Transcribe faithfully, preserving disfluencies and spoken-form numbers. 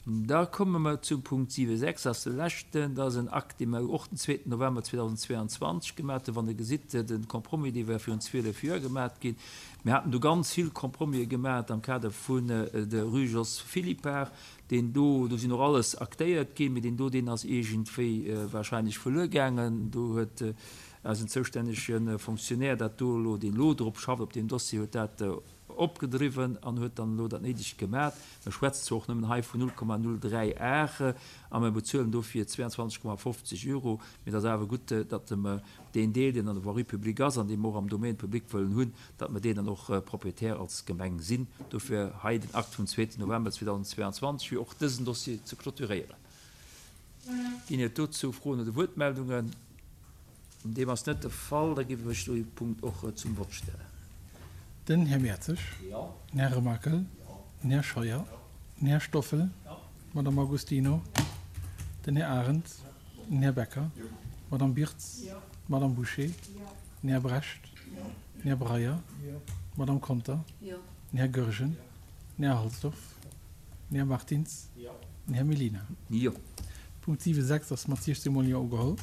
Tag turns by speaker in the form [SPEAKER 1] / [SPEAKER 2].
[SPEAKER 1] Da komme mer zum Punkt siwe sechs, dat ass de leschten. Dat ass en Akt, dee mer och den zweeten November zweedausendzweeanzwanzeg gemaat hunn. Wann Der gesitt, de Compromis, dee war virun zwielef Joer gemaat ginn. Mir haten do ganz vill Compromisen gemaat am Kader vun der Rue Jos Philippart. Deen do, do sinn och alles aktéiert ginn, mee deen do, deen ass iergendwéi wahrscheinlech verluer gaangen. Do huet eisen zoustännege Fonctionnaire dat do elo, deen elo drop schafft, op deem Dossier, huet dat opgedriwwen an huet dann elo dat Néidegt gemaat. Mer schwätzen zwar och nëmmen hei vun null Komma null dräi Ar a mer bezuelen dofir zweiundzwanzeg Komma fofzeg Euro, mee et ass awer gutt, datt mer deen Deel, deen an der Voirie publique ass an dee mer och am Domaine public wëllen hunn, datt mer deen dann och Propriétaire als Gemeng sinn. Dofir hei den Akt vum zweeten November zweedausendzweiundzwanzeg, fir och dësen Dossier ze clôturéieren. Ginn et dozou Froen oder Wuertmeldungen? Deem ass net de Fall. Da géif ech dee Punkt och zum Vott stellen.
[SPEAKER 2] Den Här Mertzig, den Här Remakel, den Här Scheuer, den Här Stoffel, d'Madame Agostino, den Här Arendt, den Här Becker, d'Madame Birtz, d'Madame Bouché, den Här Brecht, den Här Breyer, d'Madame Conter, den Här Goergen, den Här Halsdorf, den Här Martins, den Här Mellina.
[SPEAKER 1] Jo.
[SPEAKER 2] Punkt siwe sechs ass mat siechzehn Mol Jo ugeholl.